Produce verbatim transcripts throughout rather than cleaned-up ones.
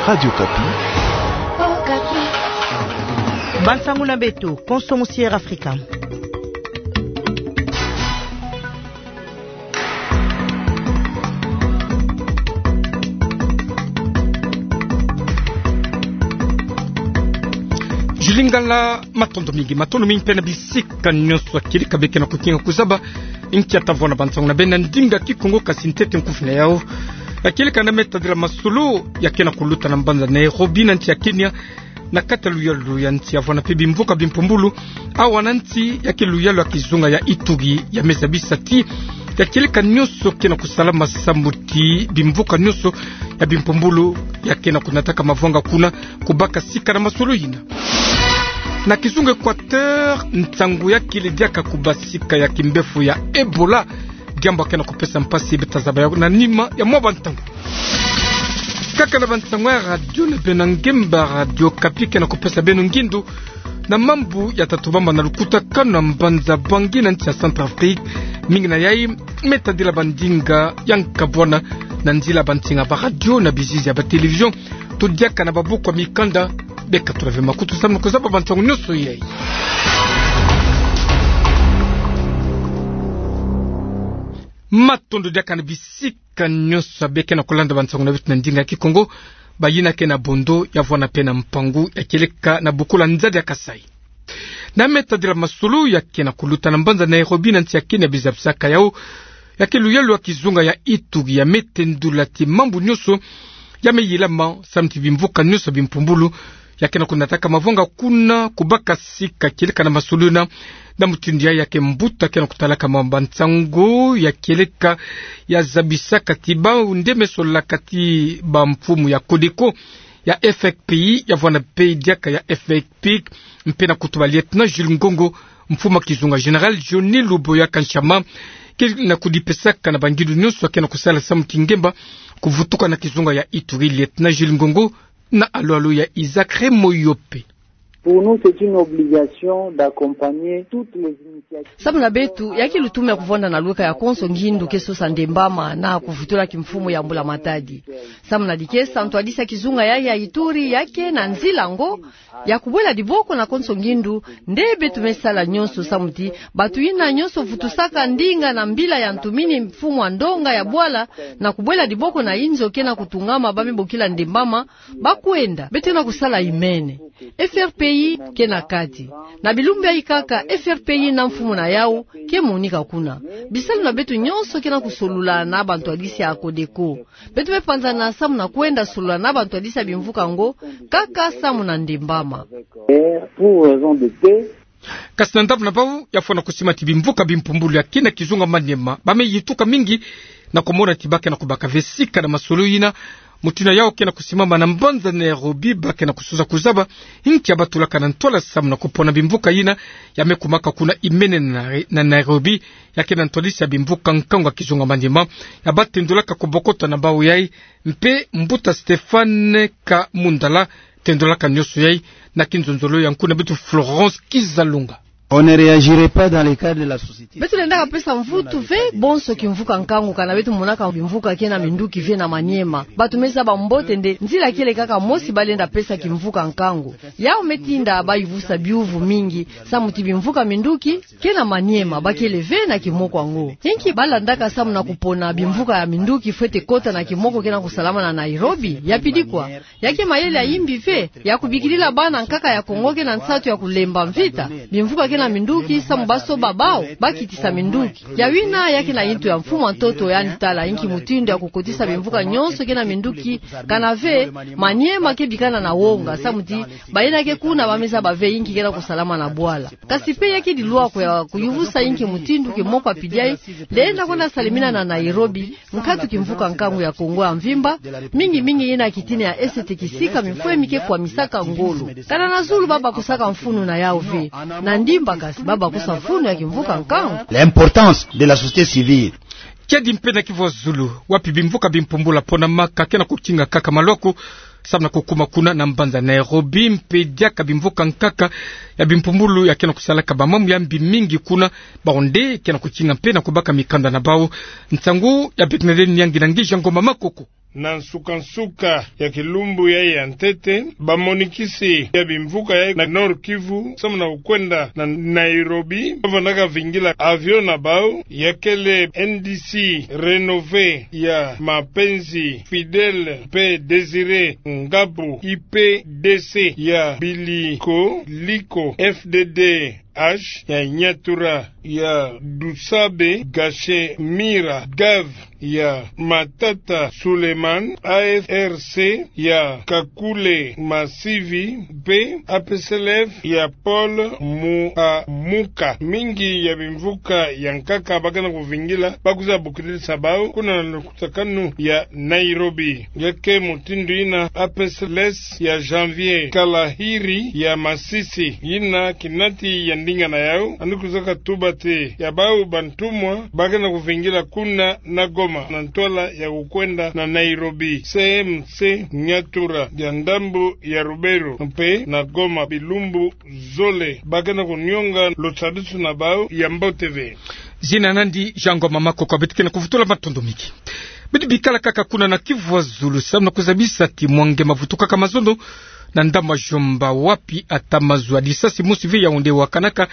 Radio Okapi. Bansangu na beto, konso musier Afrika. Julie Ngala, matondo mingi, matondo mingi mpe na bisika nyonso ya kieleka bie ke na kukinga kuzaba. Nkia tavona bansangu na beno na ndinga Kikongo, kasi ntete nkufi na yau ya kieleka na me tadila masolo ya ke na kuluta na mbanza Nairobi na nsi ya Kenya, na kati ya luyalu ya nsi ya vwanda mpe bimvuka bimpumbulu, awa na nsi ya ke luyalu ya kizunga ya Ituri, ya me zabisa ti ya kieleka nyonso ke na kusalama samu ti bimvuka nyonso ya bimpumbulu ya ke na kunataka mavwanga kuna, kubaka sika na masolo yina. Na kizunga Equateur, nsangu ya kele diaka kubasika ya kimbevo ya Ebola, diambu ya ke na kupesa mpasi, beta zaba yau na nima ya mwa bantangu. Kaka na bansangu ya radio na beno ya ngemba, Radio Okapi ke na kupesa beno ngindu na mambu ya ta tubama na lukutakanu na mbanza Bangui na nsi ya Centrafrique. Mingi na yai me tadila bandinga ya nkabwana na nzila bansinga ba radio na bizizi ya ba télévision, to diaka na babuku ya mikanda. Beka tulave makutu samu na kuzaba bansangu nyonso yai. Matondo diaka na bisika nyonso bie ke na kulanda bansangu na beto na ndinga Kikongo, bayina ke na bondo ya vwanda mpe na mpangu ya kieleka na bukula nzadi ya Kasaï. Na me tadila masolo ya ke na kuluta na mbanza Nairobi na nsi ya Kenya, bie zabisaka yau ya ke luyalu ya kizunga ya Ituri, ya me tendula ti mambu nyonso ya me yilama samu ti bimvuka nyonso bimpumbulu ya ke na kunataka mavwanga kuna, kubaka sika kieleka na masolo yina. Na mutindu yai ya ke mbuta ke na kutalaka mwa bansangu ya kieleka ya zabisaka ti bau nde me solaka ti bamfumu ya Codeco, ya F R P I, ya vwanda mpe diaka ya F R P I, mpe na kutuba Lieutenant Jules Ngongo, mfumu ya kizunga Général Johnny Luboya Kanshama, ke na kudipesaka na bangindu nyonso ya ke na kusala samu ti ngemba kuvutuka na kizunga ya Ituri. Lieutenant Jules Ngongo na alolo ya Isaac Remoyope. Pour nous, c'est une obligation d'accompagner toutes les initiatives. Samu na beto, ya ke lutumu ya kuvwanda na luka ya konso ngindu ke sosa ndembama na kuvutula kimfumu ya Mbula Matadi. Samu na dikesa ntwadisi ya kizunga ya, ya Ituri ya ke na nzila ngo ya kubwela diboko na konso ngindu, nde beto me sala nyonso samu ti bantu yina nyonso vutusaka ndinga na mbila ya ntumini mfumu ya ndonga ya bwala na kubwela diboko na inzo ke na kutungama ba me bokila ndembama, ba kwenda. Beto na kusala imene. F R P I ke na kati. Na bilumbu yayi kaka, F R P I na mfumu na yau ke monika kuna. Bisalu na beto nyonso ke na kusolula na bantwadisi ya Codeco. Beto me panzana samu na kwenda solula na bantwadisi ya bimvuka ngo, kaka samu na ndembama. Et pour raison de paix. Kasi na ndambu na bau, ya fwana kusima ti bimvuka bimpumbulu ya kina kizunga Maniema, ba me yituka mingi na kumona ti ba ke na kubaka ve sika na masolo yina. Mutindu yina yau ke na kusimama na mbanza Nairobi, ba ke na kusosa kuzaba nki ya batulaka na ntwala samu na kupona bimvuka yina ya me kumaka kuna imene na, na Nairobi, ya ke na ntwadisi ya bimvuka nkangu ya kizunga Maniema, ya batendolaka kubokota na bau yai, mpe mbuta Stéphane Kamundala tendolaka nyonso yai. Na kinzonzolo ya nkuna beto Florence Kizalunga. On ne réagirait pas dans les cas de la société. Beto lendaka pesa mvutu ve bonso kimvuka nkangu kana beto monaka bimvuka ke na minduki ve na Maniema. Bantu me zaba mbote nde nzila kele kaka mosi ba lenda pesa kimvuka nkangu. Yau me tinda ba yivusa biuvu mingi, samu ti bimvuka minduki ke na Maniema ba kele ve na kimoko yango. Inki ba landaka samu na kupona bimvuka ya minduki fwete kota na kimoko ke na kusalama na Nairobi? Ya pili kwa, ya ke mayele ya yimbi ve, ya kubikilila bana nkaka ya Kongo ke na nsatu ya kulemba mvita. Bimvuka ke na minduki samu ba soba bau, ba kitisa minduki. Ya wina ya ke na yintu ya mfumu ya ntoto, yandi tala inki mutindu ya kukotisa bimvuka nyonso ke na minduki, kana ve Maniema ke bikana na wonga, samu ti bayina ke kuna ba me zaba ve inki ke na kusalama na bwala. Kasi mpe ya ke dilwako ya kuyivusa inki mutindu kimoko ya pili yai, lenda kwenda salimina na Nairobi, nkatu kimvuka nkangu ya Kongo ya mvimba, mingi mingi yina kitini ya Est, kisika mifwe mi ke kwamisaka ngolo. Kana na zulu ba bakusaka mfunu na yau ve. Na ndimba kasi ba bakusa mfunu ya kimvuka nkangu. L'importance de la société civile. Kiadi mpe na kivu ya zulu, wapi bimvuka bimpumbulu ya ponamaka ke na kukinga kaka malwaku, samu na kukuma kuna na mbanza Nairobi, mpe diaka bimvuka nkaka ya bimpumbulu ya ke na kusalaka bamambu ya mbi mingi kuna, bau nde ke na kukinga mpe na kubaka mikanda na bau. Nsangu ya Bernadette Nyangi na Ngizia Ngoma Makoko. Na nsuka-nsuka ya kilumbu yayi ya ntete, bamonikisi ya bimvuka yayi na Nord-Kivu, samu na kukwenda na Nairobi, bavwandaka vingila avion na bau, ya kele N D C Renové ya Mapenzi Fidèle mpe Désiré Ngabu, I P D C ya Biliko Liko, F D D H ya Nyatura ya Dusabe, Gashemira Gav ya Matata Suleiman, A F R C ya Kakule Masivi, mpe A P C L F ya Paul Muamuka. Mingi ya bimvuka ya nkaka bakana kuvingila, bakwiza bokilisa bau kuna na lukutakanu ya Nairobi. Nge ke mutindu yina, A P C L S ya Janvier Kalahiri ya Masisi, yina kinati ya ndinga na yau, yandi kwizaka tuba ti ya bau bantumwa bakana kuvingila kuna na Goma na ntwala ya kukwenda na Nairobi, C M C Nyatura ya ndambu ya Ruberu mpe na Goma, bilumbu zole bakana kunionga lusadisu na bau ya mbote ve. Zina nandi Jean Ngoma Makoko. Beto ke na kuvutula matondo mingi. Beto bikala kaka kuna na Kivu ya Zulu, samu na kuzabisa ti mwange mavutukaka mazono na ndambu ya Djomba, wapi ata mazu ya disasi mosi ve ya onde wakanaka,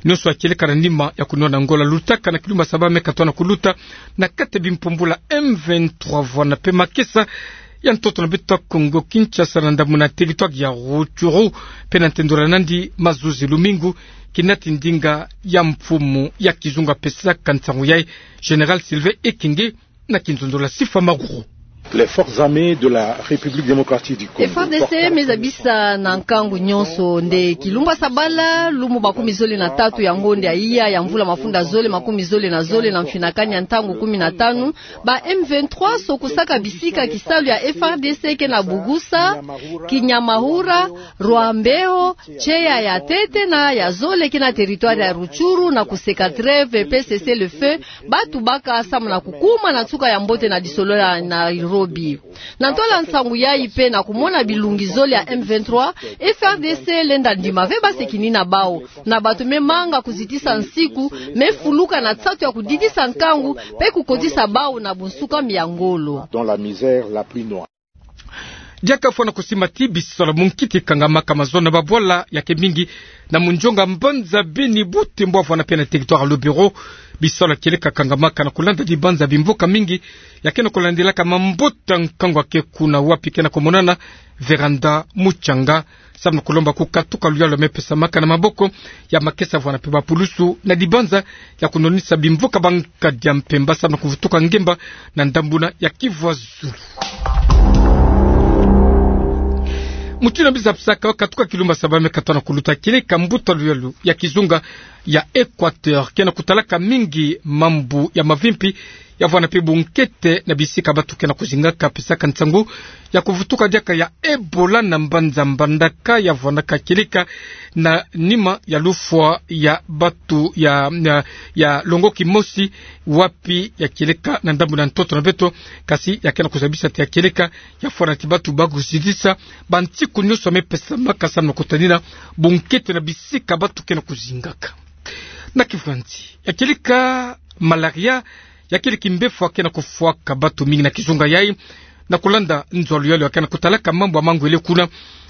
nionso ya kieleka na nima ya kunwana ngola lutaka na kilumbu ya saba me katoa na kuluta, na kati ya bimpumbula M vingt-trois vwanda mpe makesa ya ntoto na beto ya Kongo Kinshasa na ndambu na territoire ya Rutshuru, mpe na ntendolo nandi mazozi lumingu, kinati ndinga ya mfumu ya kizunga pesaka nsangu yayi, Général Sylvain Ekenge, na kinzonzolo ya Sifa Maguru. Les forces armées de la République démocratique du Congo. F R D C me zabisa na nkangu nionso nde kilumbu ya sabala, lumbu makumi zole na tatu ya ngonde ya iya ya mvula mafunda zole makumi zole na zole na mfinakani ya ntangu kumi na tanu, ba M vingt-trois sokusaka bisika kisalu ya F R D C ke na Bugusa, Kinyamahura, Rwambeo, Tseya ya tete na ya zole ke na territoire ya Rutshuru na kuseka trêve mpe cessez-le-feu, batu baka samu na kukuma na nsuka ya mbote na lisolo ya Nairobi. Na ntwala nsangu yayi mpe na kumona bilungi zole ya M vingt-trois, F R D C lenda ndima ve base kinina bau. Na bato me manga kuzitisa nsiku, me fuluka na nsatu ya kudidisa nkangu, mpe kukotisa bau na bunsuka mia ngolo. Dans la misère la plus noire. Diaka fwana kusimba ti bisola munkiti kangamaka mazono na babwala ya ke mingi na munjonga mbanza Beni, Butembo vwanda mpe na territoire ya Lubero. Bisola kieleka kangamaka na kulanda dibanza bimboka mingi ya ke na kulandilaka mambota nkangu ya ke kuna, wapi ke na kumonana Véranda Mutsanga, samu na kulomba kukatuka luyalu me pesamaka na maboko ya makesa vwanda mpe bapulusu na dibanza ya kunwanisa bimvuka ba nkadi ya mpemba samu na kuvutuka ngemba na ndambu na ya Kivu ya Zulu. Mutindu na biza pisaka, katuka kilumbu ya saba me katoa na kuluta, kieleka mbuta luyalu ya kizunga ya Équateur ke na kutalaka mingi mambu ya mavimpi ya vwanda mpe bunkete na bisika batu ke na kuzingaka, pesaka nsangu ya kuvutuka diaka ya Ebola na mbanza Mbandaka ya vwandaka kieleka na nima ya lufwa ya batu ya, ya, ya longo kimosi, wapi ya kieleka na ndambu na ntoto na beto, kasi ya ke na kuzabisa ti ya kieleka ya fwana ti batu ba kuzitisa bansiku nionso me pesamaka samu na kutanina bunkete na bisika batu ke na kuzingaka. Na Kivu ya nsi, ya kieleka malaria, ya kieleka mbefwa ke na kufwaka batu mingi na kizunga yayi, na kulanda nzo ya luyalu ya ke na kutalaka mambu ya mangwele kuna,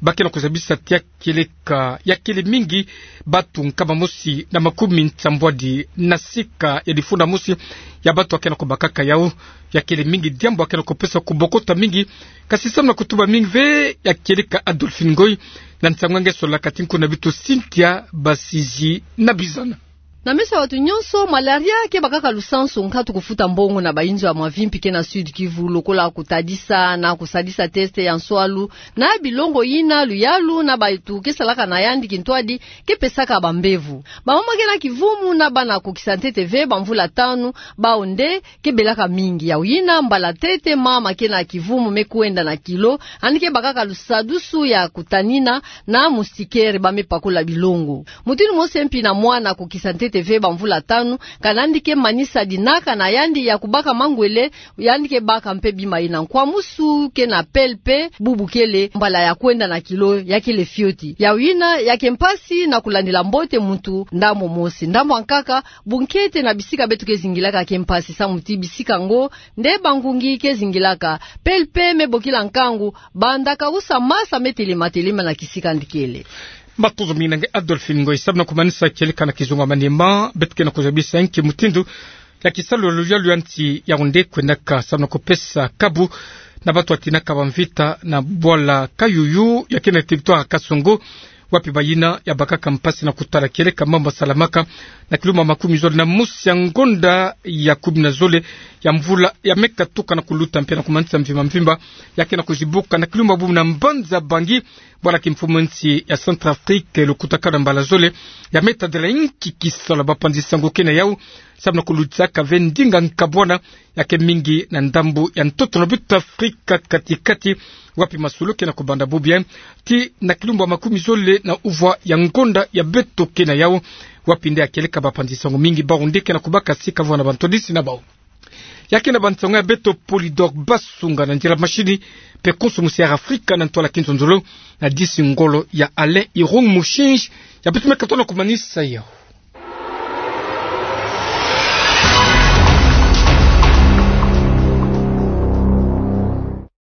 ba ke na kuzabisa ti ya kieleka ya kele mingi batu nkama mosi na makumi nsambwadi na sika ya difunda mosi ya batu ya ke na kubakaka yau. Ya kele mingi diambu ya ke na kupesa kubokota mingi, kasi samu na kutuba mingi ve ya kieleka Adolphine Ngoy, na nsangu ya nge sola kati nku na beto Cynthia Basizi na Bizana. Na meso ya batu nionso, malaria ke bakaka lusansu nkatu kufuta mbongo na bainzo ya mavimpi ke na Sud Kivu, lokola kutadisa na kusadisa test ya nswalu na bilongo yina luyalu na batu ke salaka na yandi kintwadi ke pesaka bambevo. Bamama ke na kivumu na bana kukisa ntete ve bamvula tanu, bau nde ke belaka mingi. Yau yina mbala ntete mama ke na kivumu me kwenda na kilo, yandi ke bakaka lusadusu ya kutanina na moustiquaire ba me pakola bilongo. Mutindu mosi mpi na mwana kukisa ntete Est ve bamvula tanu, ka nandi ke manisa dinaka na yandi ya kubaka mangwele, yandi ke baka mpe bima ina. Nkwa musu ke na pele mpe bubu kele mbala ya kwenda na kilo ya kele fioti. Yawu yina ya ke mpasi na kulandila mbote muntu ndambo mosi. Ndambo ya nkaka, bunkete na bisika beto ke zingilaka ke mpasi samu ti bisika ngo nde bangungi ke zingilaka. Pele mpe me bokila nkangu, banda kausa masa me telema telema na kisika ndikele. Matondo mingi na nge Adolphine Ngoyi. Samu na kumanisa kieleka na kizunga ya manima, beto ke na kuzabisa nki mutindu ya kisalu ya luyalu ya nsi Yaoundé kwendaka, samu na kupesa kabu na bantu batinaka bamvita na bwala Kayuyu ya ke na territoire ya Kasongo, wapi bayina ya bakaka mpasi na kutala kieleka mambu salamaka na kilumbu makumi zole na mosi ya ngonda ya kumi na zole ya mvula ya me katuka na kuluta mpe na kumanisa mvimba mvimba ya ke na kuzibuka na kilumbu bubu na mbanza Bangui, bwala kimfumu nsi ya Centrafrique, lukutakanu ya mbala zole ya me tadila nki kisalu ya bapanzi sango ke na yawu, samu na kulutisaka ve ndinga nkabwana ya ke mingi na ndambu ya ntoto na beto Afrika kati-kati, wapi masolo ke na kubanda bubu ti na kilumbu makumi zole na uvwa ya ngonda ya beto ke na yawu, wapi nde ya kieleka bapanzi sango mingi bau nde ke na kubaka sika vwa na bantwadisi na bau. Ya ke na bansango ya beto. Polydor Basunga na ndila mashini, mpe konso musi Air Afrika na ntwala kinzonzolo, na disi ngolo ya Alain Irung Mushinji, ya beto me katono kumanisa yawu.